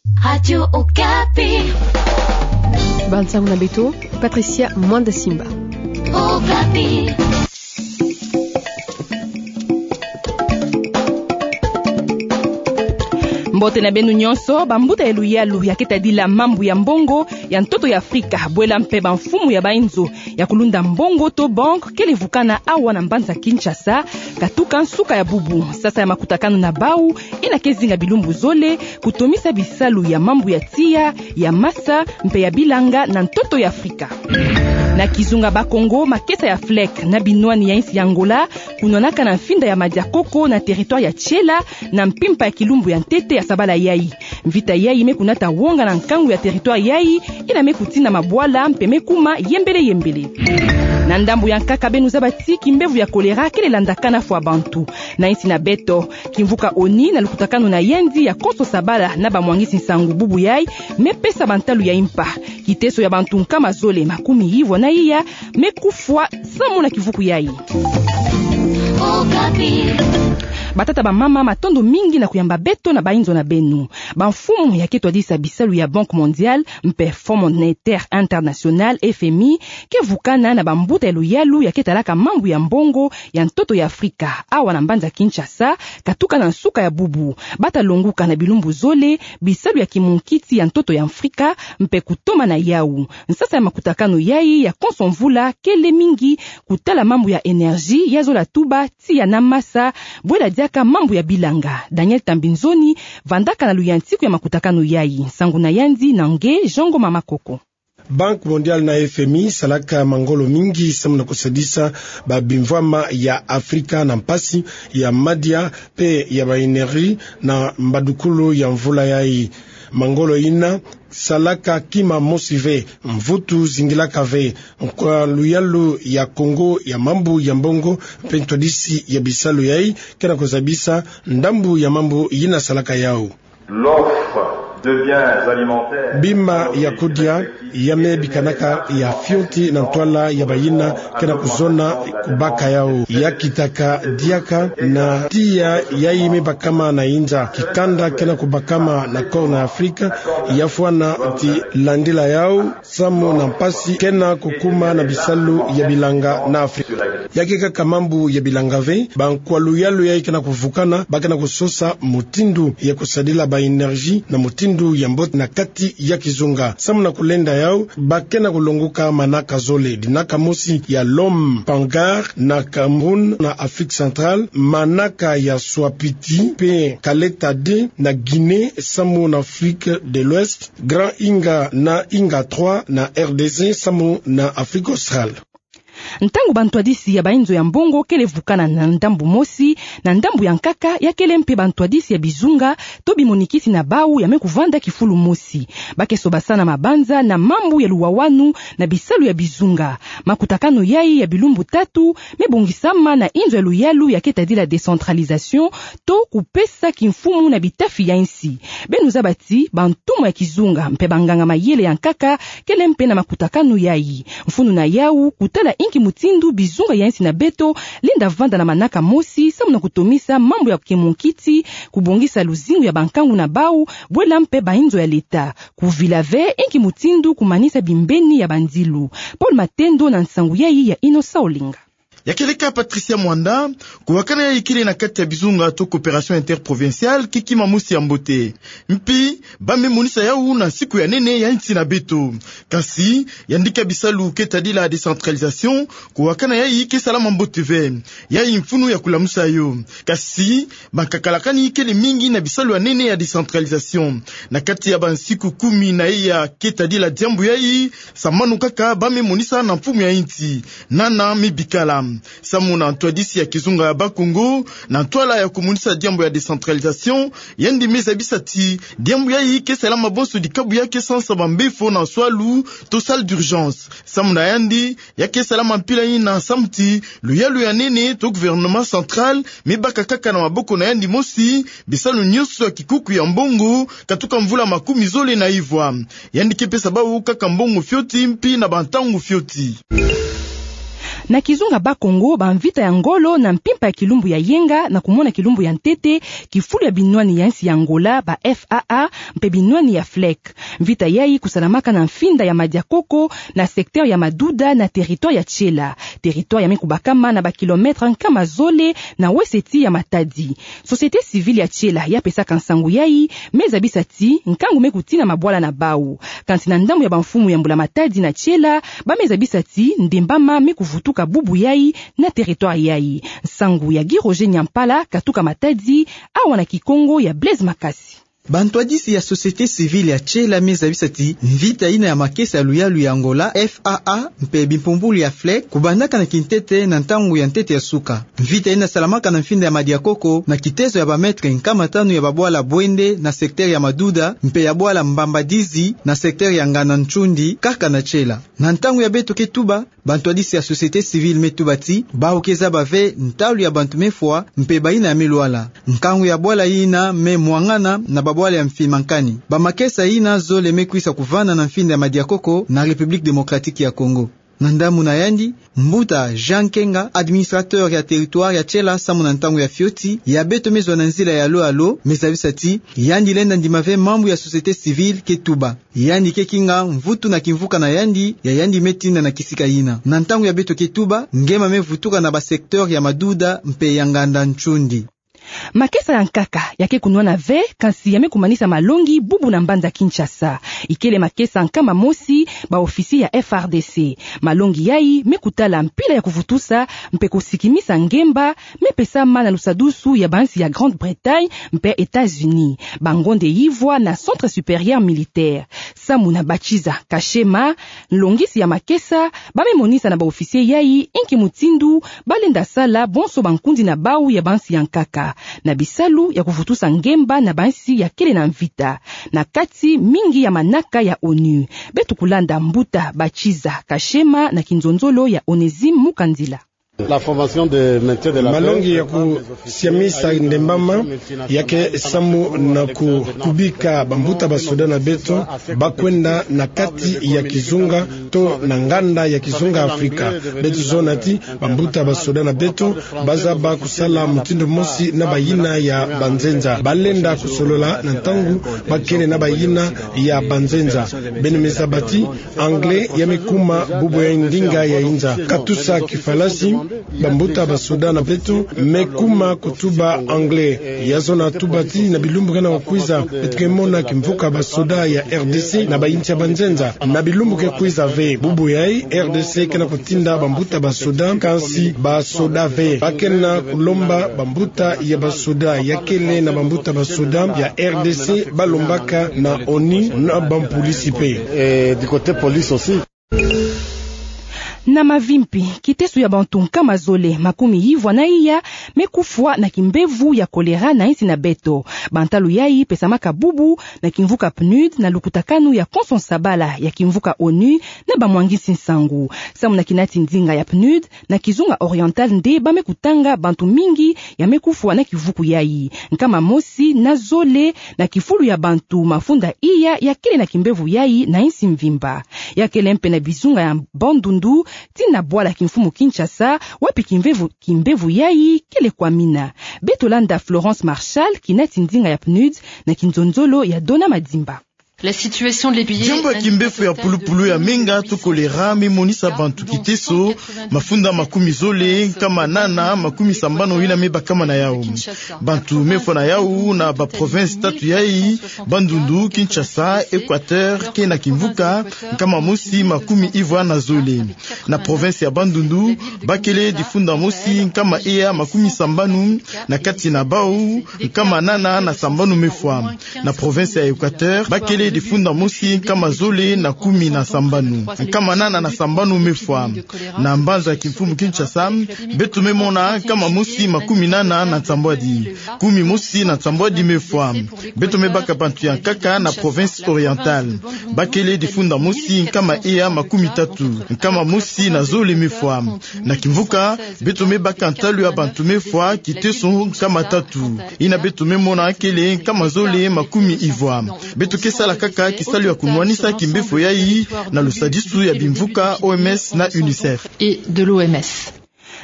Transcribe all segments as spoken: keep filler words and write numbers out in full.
Radio Okapi. Bansango na beto, Patricia Mwanda Simba. Okapi. Mbote na beno nyonso, bambuta ya luyalu ya keti tadila mambu ya mbongo ya ntoto ya Afrika, bwela mpe bamfumu ya bainzo ya kulunda mbongo to banque kele vukana awa na mbanza Kinshasa, katuka nsuka ya bubu. Sasa ya makutakanu na bau, ina ke zinga bilumbu zole, kutomisa bisalu ya mambu ya tiya, ya masa, mpe ya bilanga na ntoto ya Afrika. Na kizunga Bakongo, makesa ya flec na binwani ya insi ya Angola, kunwanaka na mfinda ya Madiakoko na territoire ya Tshela, na mpimpa ya kilumbu ya ntete ya sabala yai. Mvita yai me kunata wonga na nkangu ya territoire yai, ina me kutina mabwala mpe me kuma yembele yembele. Na ndambu ya nkaka, beno zaba ti kimbevo ya choléra kele landakana fwa bantu na insi na beto. Kimvuka ONU na lukutakanu na yandi ya konso sabala na bamwangisi nsangu bubu yai, me pesa bantalu ya impa. Kiteso ya bantu nkama zole makumi yivwa na iya me kufwa samu na kivuku yai. Batata, bamama, matondo mingi na kuyamba beto na bainzo na beno. Bamfumu ya ke twadisa bisalu ya Banque Mondiale mpe Fonds Monétaire International, F M I, ke vukana na bambuta ya luyalu ya ke talaka mambu ya mbongo ya ntoto ya Afrika, awa na mbanza Kinshasa, katuka na nsuka ya bubu. Bata longuka na bilumbu zole bisalu ya kimunkiti ya ntoto ya Afrika, mpe kutoma na yau. Nsasa ya makutakanu yai ya konso mvula kele mingi kutala mambu ya énergie, ya zola tuba, tiya na masa, bwela diaka mambu ya bilanga. Daniel Tambinzoni vandaka na luyantiku ya makutakanu yai. Nsangu na yandi na nge Jean Ngoma Makoko. Banque Mondiale na F M I salaka mangolo mingi samu na kusadisa babimvwama ya Afrika na mpasi ya madia mpe ya ba énergie na mbadukulu ya mvula yai. Mangolo ina salaka kima mosi ve, mvutu zingilaka ve. Kwa luyalu ya Kongo ya mambu ya mbongo mpe ntwadisi ya bisalu yai, ke na kuzabisa ndambu ya mambu yina salaka yau. L'offre de biens alimentaires. Bima ya kudia ya me bikanaka ya fioti na ntwala ya bayina ke na kuzona kubaka yau. Ya kitaka diaka na tiya yai me bakama na inza. Kikanda ke na kubakama na Corne Afrique, ya fwana ti landila yau samu na mpasi ke na kukuma na bisalu ya bilanga na Afrika. Ya ke kaka mambu ya bilanga ve, bankwa luyalu yai ke na kuvukana, ba ke na kusosa mutindu ya kusadila ba énergie na mutindu ya mbote na kati ya kizunga. Samu na kulenda yau, ba ke na kulonguka manaka zole, dinaka mosi ya Lom Pangar na Cameroun na Afrique Centrale, manaka ya Swapiti mpe Kaleta deux na Guinée, samu na Afrique de l'Ouest, Grand Inga na Inga trois na R D C, samu na Afrique Australe. Ntangu bantwadisi ya bainzo ya mbongo kele vukana na ndambu mosi, na ndambu ya nkaka ya kele mpe bantwadisi ya bizunga to bimonikisi na bau ya me kuvanda kifulu mosi. Ba ke sobasana mabanza na mambu ya luwawanu na bisalu ya bizunga. Makutakanu yai ya bilumbu tatu me bongisama na inzo ya luyalu ya ke tadila décentralisation, to kupesa kimfumu na bitafi ya insi. Beno zaba ti bantumwa ya kizunga mpe banganga-mayele ya nkaka kele mpe na makutakanu yai. Mfunu na yau kutala inki mutindu bizunga ya insi na beto lenda vanda na manaka mosi samu na kutomisa mambu ya kimunkiti, kubongisa luzingu ya bankangu na bau, bwela mpe bainzo ya leta. Kuvila ve inki mutindu kumanisa bimbeni ya bandilu. Paul Matendo na nsangu yai ya Innocent Olinga. Ya kele ka Patricia Mwanda, kuwakana yai kele na kati ya bizunga to coopération interprovinciale, kiki mamusi ya mbote. Mpi, ba me monisa yau na nsiku ya nene ya insi na beto. Kasi, yandi ka bisalu ke tadila décentralisation, kuwakana yai ke salama mbote ve. Yai mfunu ya kulamusa yo. Kasi, bankakalakani kele mingi na bisalu ya nene ya décentralisation. Na kati ya bansiku kumi na iya ke tadila diambu yai, samanu kaka ba me monisa na mfumu ya insi. Nana me bikala. Samu na ntwadisi ya kizunga ya Bakongo, na ntwala ya kumonisa diambu ya décentralisation, yandi me zabisa ti diambu yai ke salama bonso dikabu ya ke sansa bambefo na swalu to salle d'urgence. Samu na yandi, ya ke salama mpila yina samu ti luyalu ya nene to gouvernement central me baka kaka na maboko na yandi mosi bisalu nyonso ya kikuku ya mbongo, katuka mvula makumi zole na ivwa. Yandi ke pesa bau kaka mbongo fioti mpi na bantangu fioti. Na kizunga Bas-Congo, bamvita ya ngolo na mpimpa ya kilumbu ya yenga na kumona kilumbu ya ntete kifulu ya binwani ya nsi ya Angola, ba F A A, mpe binwani ya FLEC. Mvita yayi kusalamaka na mfinda ya Madiakoko, na secteur ya Maduda, na territoire ya Tchela. Territoire ya me kubakama na ba kilomètre nkama zole na weseti ya Matadi. Société civile ya Tchela ya pesaka nsangu yayi me zabisa ti nkangu me kutina mabwala na bau. Kansi na ndambu ya bamfumu ya Mbula Matadi na Tchela, ba me zabisa ti Ndembama me kuvutuka bubu yayi na territoire yayi. Nsangu ya Guy Roger Nyampala, katuka Matadi, awa na Kikongo ya Blaise Makasi. Bantwadisi ya société civile ya Tchela me zabisa ti mvita yina ya makesa ya luyalu ya Angola, F A A, mpe bimpumbulu ya FLEC, kubandaka na kintete na ntangu ya ntete ya suka. Mvita yina salamaka na mfinda ya Madiakoko, na kitezo ya ba mètre nkama tanu ya babwala Bwende, na secteur ya Maduda, mpe ya bwala Mbambadizi, na secteur ya Nganda-Nchundi, kaka na Tchela. Na ntangu ya beto ke tuba, bantwadisi ya société civile me tuba ti bau ke zaba ve ntalu ya bantu me fwa mpe bayina ya me lwala. Nkangu ya bwala yina me mwangana na babwala ya mfi mankani. Bamakesa yina zole me kwisa kuvanda na mfinda ya Madiakoko, na République Démocratique ya Congo. Na ndambu na yandi, mbuta Jean Kenga, administrateur ya territoire ya Tchela samu na ntangu ya fioti, ya beto me zwa na nzila ya alo alo, me zabisa ti yandi lenda ndima ve mambu ya société civile ke tuba. Yandi ke kinga mvutu na kimvuka na yandi, ya yandi me tinda na kisika yina. Na ntangu ya beto ke tuba, ngema me vutuka na ba secteur ya Maduda mpe ya Nganda-Nchundi. Makesa ya nkaka ya ke kunwana ve, kansi ya me kumanisa malongi bubu na mbanza Kinshasa. Ikele makesa nkama mosi ba officier ya F R D C. Malongi yayi me kutala mpila ya kuvutusa mpe kusikimisa ngemba, me pesama na lusadusu ya bansi ya Grande-Bretagne mpe États-Unis, bangonde yivwa na Centre Supérieur Militaire. Samu na Bachiza Kashema, nlongisi ya makesa, ba me monisa na ba officier yayi inki mutindu ba lenda sala bonso bankundi na bau ya bansi ya nkaka, na bisalu ya kuvutusa ngemba na bansi ya kele na mvita, na kati mingi ya manaka ya onu. Beto kulanda mbuta Bachiza Kashema na kinzonzolo ya Onésime Mukandila. Malongi ya kusiamisa Ndembama ya ke samu na ku-, kubika bambuta basoda na beto ba kwenda na kati ya kizunga to na nganda ya kizunga Afrika. Beto zona ti bambuta basoda na beto ba zaba kusala mutindu mosi na bayina ya banzenza. Ba lenda kusolola na ntangu ba kele na bayina ya banzenza. Beno me zaba ti anglais ya me kuma bubu ya ndinga ya inza. Katusa kifalasi, bambuta basoda na beto me kuma kutuba anglais. Ya zona tuba ti na bilumbu ke na kukwiza, beto ke mona kimvuka basoda ya R D C na bayinsi ya banzenza. Na bilumbu ke kwiza ve, bubu yayi R D C ke na kutinda bambuta basoda, kansi basoda ve. Ba ke na kulomba bambuta ya basoda ya kele na bambuta basoda ya R D C, ba lombaka na onu na bampolisi pe. Na Mavimpi, kiteso ya bantu nkama zole makumi yivwa na iya me kufwa na kimbevo ya choléra na insi na beto. Bantalu yayi pesamaka bubu na kimvuka PNUD na lukutakanu ya konso nsabala ya kimvuka onu na bamwangisi nsangu. Samu na kinati ndinga ya PNUD, na kizunga Oriental nde ba me kutanga bantu mingi ya me kufwa na kivuku yayi. Nkama mosi na zole na kifulu ya bantu mafunda iya ya kele na kimbevo yayi na insi mvimba. Ya kele mpe na bizunga ya Bandundu, tii na bwala kimfumu Kinshasa, wapi kimbevo, kimbevo yayi kele kwa mina. Beto landa Florence Marshal, kinati ndinga ya PNUD, na kinzonzolo ya Dona Madimba. Diambu ya kimbevo ya pulupulu ya menga to choléra me monisa bantu kiteso, mafunda makumi zole, nkama nana, makumi sambanu yina me bakama na yau. Bantu me fwa na yau na ba province tatu yayi, Bandundu, Kinshasa, Equateur, ke na kimvuka nkama mosi makumi yivwa na zole. Na province ya Bandundu, ba kele difunda mosi nkama iya makumi sambanu, na kati na bau, nkama nana na sambanu me fwa. Na province ya Equateur, ba kele difunda mosi nkama zole na kumi na sambanu. Nkama nana na sambanu me fwa. Na mbanza ya kimfumu Kinshasa, beto me mona nkama mosi makumi nana na nsambwadi. Kumi mosi na nsambwadi me fwa. Beto me baka bantu ya nkaka na province Orientale. Ba kele difunda mosi nkama iya makumi tatu. Nkama mosi na zole me fwa. Na kimvuka, beto me baka ntalu ya bantu me fwa kiteso nkama tatu. Yina beto me mona kele nkama zole makumi yivwa. Beto ke sala kaka kisalu ya kunwanisa kimbefo yayi na lusadisu ya bimvuka O M S na UNICEF. Et de l'O M S.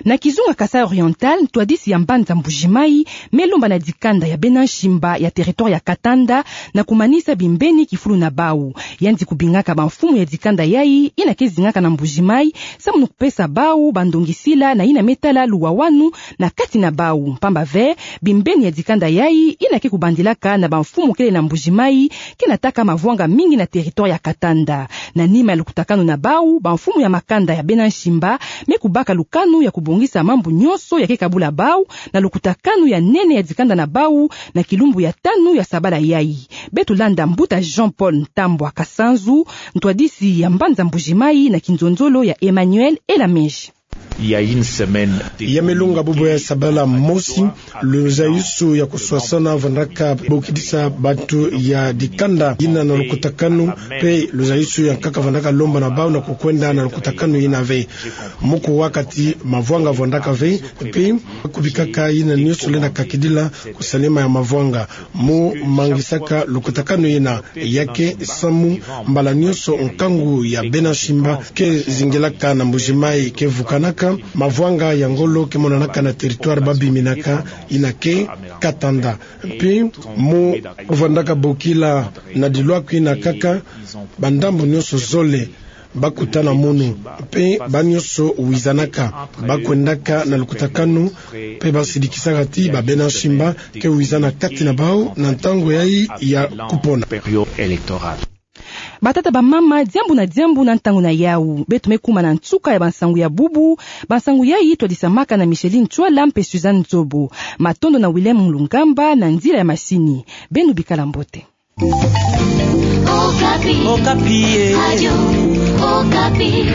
Na kizunga Kasaï Oriental, ntwadisi ya mbanza Mbuji-Mayi me lomba na dikanda ya bena nshimba ya territoire ya Katanda na kumanisa bimbeni kifulu na bawu. Yandi kubingaka bamfumu ya dikanda yayi ina ke zingaka na Mbuji-Mayi, samu na kupesa bawu bandongisila na ina me tala luwawanu na kati na bawu. Mpamba ve, bimbeni ya dikanda yayi ina ke kubandilaka na bamfumu kele na Mbuji-Mayi ke nataka mavwanga mingi na territoire ya Katanda. Na nima ya lukutakanu na bawu, bamfumu ya makanda ya bena nshimba me kubaka lukanu ya kubongisa mambu nyonso ya ke kabula bawu na lukutakanu ya nene ya dikanda na bawu na kilumbu ya tanu ya sabala yayi. Beto landa mbuta Jean-Paul Ntambwa Kasanzu, ntwadisi ya mbanza Mbuji-Mayi na kinzonzolo ya Emmanuel Elaminge. Il y a une semaine. Ya me longa bubu ya sabala mosi, luzayusu ya kuswasana vandaka bokidisa bantu ya dikanda ina na lukutakanu, mpe luzayusu ya nkaka vandaka lomba na bawu na kukwenda na lukutakanu ina ve. Mu kuwa kati mavwanga vandaka ve, mpe kubikaka ina nyonso lenda kakidila kusalema ya mavwanga. Mu mangisaka lukutakanu ina, ya ke samu mbala nyonso nkangu ya bena nshimba ke zingilaka na Mbuji-Mayi ke vukanaka, mavwanga ya ngolo ke monanaka na territoire ba biminaka, ina ke Katanda. Mpe mu vandaka bokila na dilwaku ina kaka, bandambu nyonso zole ba kutana munu, mpe ba nyonso wizanaka, ba kwendaka na lukutakanu, mpe ba sidikisaka ti ba bena nshimba ke wizana kati na bawu na ntangu yayi ya kupona. Batata, bamama, diambu na diambu na ntangu na yawu. Beto me kuma na nsuka ya bansangu ya bubu. Bansangu yayi twadisamaka na Micheline Ntsoila mpe Suzanne Nzobo. Matondo na Willem Lungamba na nzila ya masini. Beno bikala mbote. Okapi. Okapi, eh. Radio Okapi.